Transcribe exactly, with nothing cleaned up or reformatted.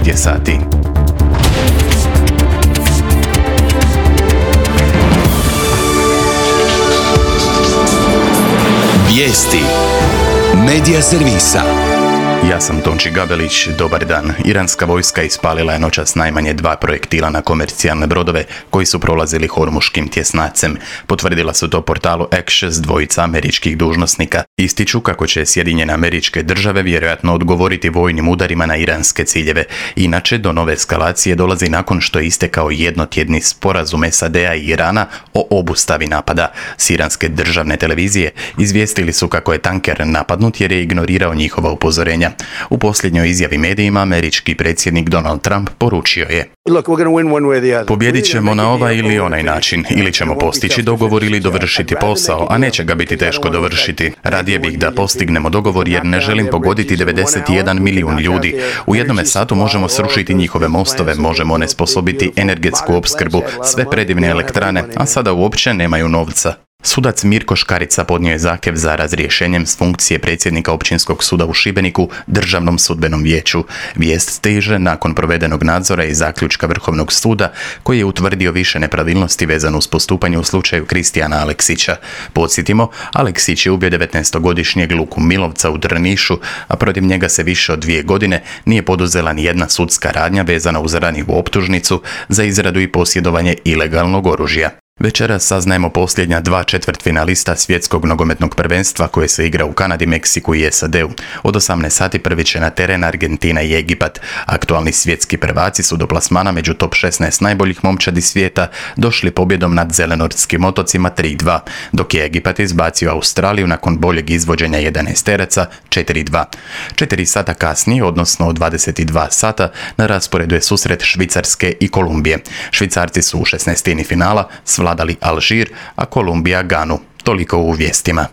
devet je sati. Vijesti Medija servisa. Ja sam Tonči Gabelić, dobar dan. Iranska vojska ispalila je noćas najmanje dva projektila na komercijalne brodove koji su prolazili hormuškim tjesnacem. Potvrdila su to portalu Axios dvojica američkih dužnosnika. Ističu kako će Sjedinjene Američke Države vjerojatno odgovoriti vojnim udarima na iranske ciljeve. Inače, do nove eskalacije dolazi nakon što je istekao jednotjedni sporazum S A D-a i Irana o obustavi napada. S iranske državne televizije izvijestili su kako je tanker napadnut jer je ignorirao njihova upozorenja. U posljednjoj izjavi medijima američki predsjednik Donald Trump poručio je: Pobijedit ćemo na ovaj ili onaj način. Ili ćemo postići dogovor ili dovršiti posao, a neće ga biti teško dovršiti. Radije bih da postignemo dogovor jer ne želim pogoditi devedeset jedan milijun ljudi. U jednome satu možemo srušiti njihove mostove, možemo onesposobiti energetsku opskrbu, sve predivne elektrane, a sada uopće nemaju novca. Sudac Mirko Škarica podnio je zahtjev za razrješenjem s funkcije predsjednika Općinskog suda u Šibeniku Državnom sudbenom vijeću. Vijest stiže nakon provedenog nadzora i zaključka Vrhovnog suda koji je utvrdio više nepravilnosti vezano uz postupanje u slučaju Kristijana Aleksića. Podsjetimo, Aleksić je ubio devetnaestogodišnjeg Luku Milovca u Drnišu, a protiv njega se više od dvije godine nije poduzela ni jedna sudska radnja vezana uz ranjivu optužnicu za izradu i posjedovanje ilegalnog oružja. Večeras saznajemo posljednja dva četvrtfinalista svjetskog nogometnog prvenstva koje se igra u Kanadi, Meksiku i S A D-u. Od osamnaest sati prvi će na teren Argentina i Egipat. Aktualni svjetski prvaci su do plasmana među top šesnaest najboljih momčadi svijeta došli pobjedom nad Zelenortskim otocima tri dva, dok je Egipat izbacio Australiju nakon boljeg izvođenja jedanaesteraca četiri dva. Četiri sata kasnije, odnosno od dvadeset dva sata, na rasporedu je susret Švicarske i Kolumbije. Švicarci su u šesnaestini finala svladali Alžir, a Kolumbija Ganu. Toliko u vijestima.